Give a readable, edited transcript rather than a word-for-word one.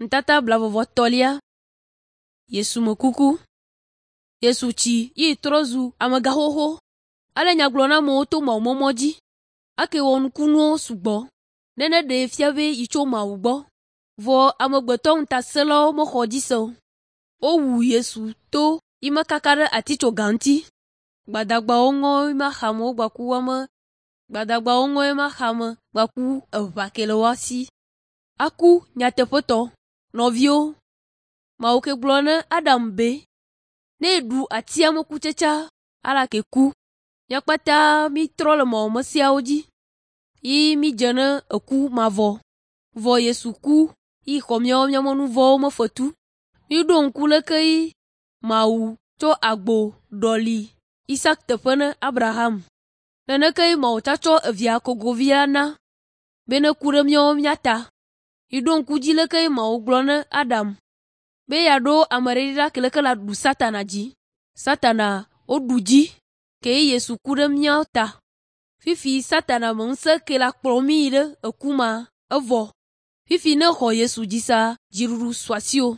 Ŋutata blaeve-vɔ-etɔ̃lia. Yesu me kuku. Yesu tsi yi trɔ zu amegaxoxo. Ale nya gblɔ na amewo to mawumɔmɔ dzi. Ake wɔ nukunuwo sugbɔ ne neɖee fia be yi tso Mawu gbɔ. Vɔ amegbetɔ ŋutasẽlawo mexɔ edzi se o. Wowu Yesu to yi mekaka ɖe atitsoga ŋuti. Gbadagbawo ŋɔ yi axame gbaku woame gbadagbawo ŋɔ yi axame gbaku eʋa ke le woa si. Aku nyateƒetɔ. Nɔviwo, Mawu ke gblɔ ne Adam be ne yeɖu atia me kutsetsea ala ke ku. Mía kpata mítrɔ le mawumesiawo dzi yi mídze ne eku mavɔ. Vɔ Yesu ku yi xɔ míawo míaƒe nu vɔ̃wo me fetu. Míɖo ŋku leke yi Mawu tsɔ agbo ɖɔli Isak teƒe ne Abraham. Neneke yi Mawu tsa tsɔ evia kogovia na be neku ɖe míawo mía ta. Miɖo ŋku dzi leke yi Mawu gblɔ ne Adam be yeaɖo ame ɖe ɖa ke leke la ɖu Satana dzi. Satana woɖu dzi ke ye Yesu ku ɖe míawo ta. Fifi Satana me ŋusẽ ke la kplɔ mí yi ɖe eku ma evɔ. Fifi ne xɔ Yesu dzi sea, dziɖuɖu su asiwò.